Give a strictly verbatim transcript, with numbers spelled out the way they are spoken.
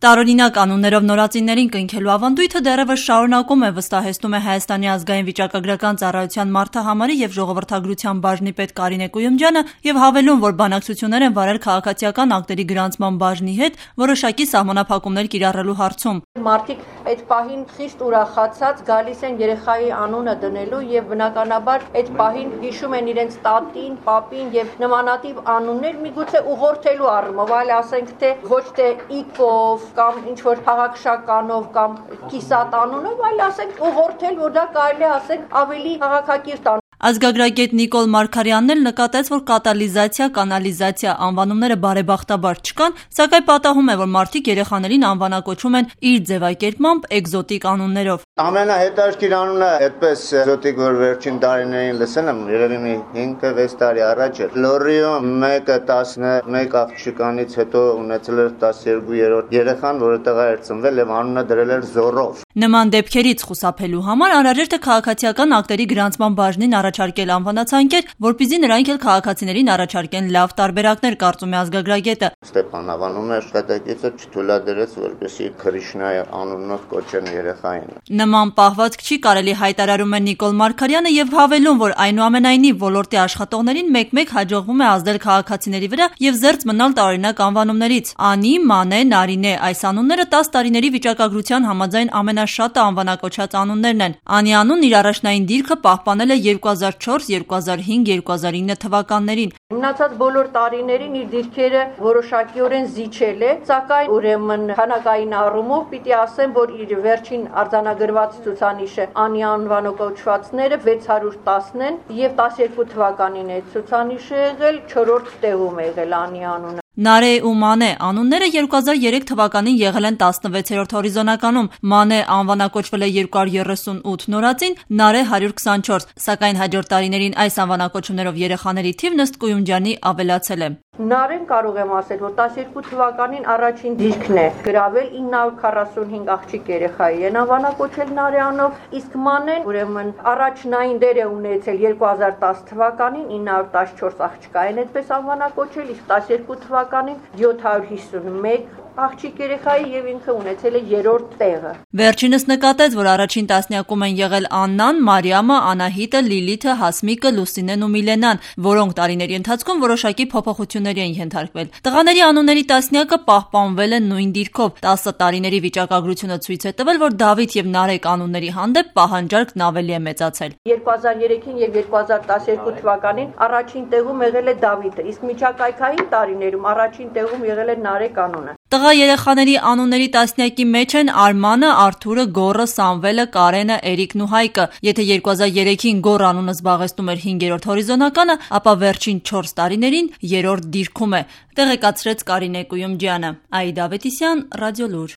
Տարօրինակ անուններով նորածիններին կնքելու ավանդույթը դեռևս շարունակում է, վստահեցնում է Հայաստանի ազգային վիճակագրական ծառայության մարդահամարի և ժողովրդագրության բաժնի պետ Կարինե Կույումջյանը և հավելում, որ բանակցություններ են վարել քաղաքացիական ակտերի գրանցման բաժնի հետ որոշակի սահմանափակումներ կիրառելու հարցում։ Մարդիկ այդ պահին խիստ ուրախացած գալիս են երեխայի անունը դնելու եւ բնականաբար այդ պահին հիշում են իրենց տատին, պապին եւ նմանատիպ անուններ, միգուցե ուղղորդելու առումով, այլ ասենք թե ոչ թե Իկով կամ ինչ որ քաղաքշականով կամ կիսատ անունով, այլ ասենք ուղղորդել, որ դա կարելի է ասենք ավելի քաղաքակիրթ անուն։ Ազգագրագետ Նիկոլ Մարգարյանն էլ նկատեց, որ կատալիզացիա, կանալիզացիա անվանումները բարեբախտաբար չկան, սակայն պատահում է, որ մարդիկ երեխաներին անվանակոչում են իր ձևակերպմամբ էկզոտիկ անուններով։ Ամենահետաքրքիր անունը այդպես էկզոտիկ, որ վերջին տարիներին լսել եմ, երևի մի հինգ-վեց տարի առաջ էր։ Լորիո մեկը տասնմեկ աղջկանից հետո ունեցել էր տասներկու-երրորդ երեխան, որը տղա էր ծնվել եւ անունը դրել էր Զորով։ Նման դեպքերից խուսափելու համար անհրաժեշտ է քաղաքացիական ակտերի գրանցման բաժնին առաջարկել անվանացանկեր, որպեսզի նրանք էլ քաղաքացիներին առաջարկեն լավ տարբերակներ, կարծում է ազգագրագետը։ Ստեփան անվանում էր շտատակիցը չթույլատրեց, որպեսզի Քրիշնայ անունով կոչեն երեխային։ Նման պահվածք չի կարելի, հայտարարում է Նիկոլ Մարգարյանը եւ հավելում, որ այնուամենայնիվ ոլորտի աշխատողներին մեկ-մեկ հաջողվում է ազդել քաղաքացիների վրա եւ զերծ մնալ տարօրինակ անվանումներից։ Անի, Մանե, Նարինե այս անունները տասը տարիների վիճակագրության համաձայն ամենաշատը անվանակոչած անուններն են։ Անի անունն իր առաջնային դիրքը պահպանել է երկու հազար չորս, երկու հազար հինգ, երկու հազար ինը թվականներին։ Մնացած բոլոր տարիներին իր դիրքերը որոշակիորեն զիջել է, սակայն ուրեմն քանակային առումով պիտի ասեմ, որ իր վերջին արձանագրված ցուցանիշը Անի անվանակոչվածները վեց հարյուր տասն են եւ տասներկու թվականին է ցուցանիշը եղել չորրորդ տեղում է եղել Անի անունը։ Նարե ու Մանե անունները երկու հազար երեք թվականին եղել են տասնվեցերորդ հորիզոնականում, Մանե անվանակոչվել է երկու հարյուր երեսունութ նորածին, Նարե հարյուր քսանչորս, սակայն հաջորդ տարիներին այս անվանակոչումներով երեխաների թիվն ըստ Կույումջյանի ավելացել է։ Նարեն կարող եմ ասել, որ տասներկու թվականին առաջին դիրքն է գրավել ինը հարյուր քառասունհինգ աղջիկ երեխայի են անվանակոչել Նարեանով, իսկ Մանեն ուրեմն առաջնային դեր է ունեցել երկու հազար տասը թվականին ինը հարյուր տասնչորս աղջկա են այդպես անվանակոչել, իսկ տասներկու թվականին յոթ հարյուր հիսունմեկ աղջիկ երեխայի եւ ինքը ունեցել է երրորդ տեղը։ Վերջինս նկատեց, որ առաջին տասնյակում են եղել Աննան, Մարիամը, Անահիտը, Լիլիթը, Հասմիկը, Լուսինեն ու Միլենան, որոնք տարիների ընթացքում որոշակի փոփոխությունների են ենթարկվել։ Տղաների անունների տասնյակը պահպանվել է նույն դիրքով։ տասը տարիների վիճակագրությունը ցույց է տվել, որ Դավիթ եւ Նարեկ անունների հանդեպ պահանջարկն ավելի է մեծացել։ երկու հազար երեքին եւ երկու հազար տասներկու թվականին առաջին տեղում եղել է Դավիթը, իսկ միջակայքային տարիներում առաջին տեղում եղել է Նարեկ անունը։ Տղա երեխաների անունների տասնյակի մեջ են Արմանը, Արթուրը, Գոռը, Սամվելը, Կարենը, Էրիկն ու Հայկը։ Եթե երկու հազար երեքին Գոռ անունը զբաղեցնում էր հինգերորդ հորիզոնականը, ապա վերջին չորս տարիներին երրորդ դիրքում է, տեղեկացրեց Կարինե Կույումջյանը։ Աիդա Ավետիսյան, Ռադիոլուր։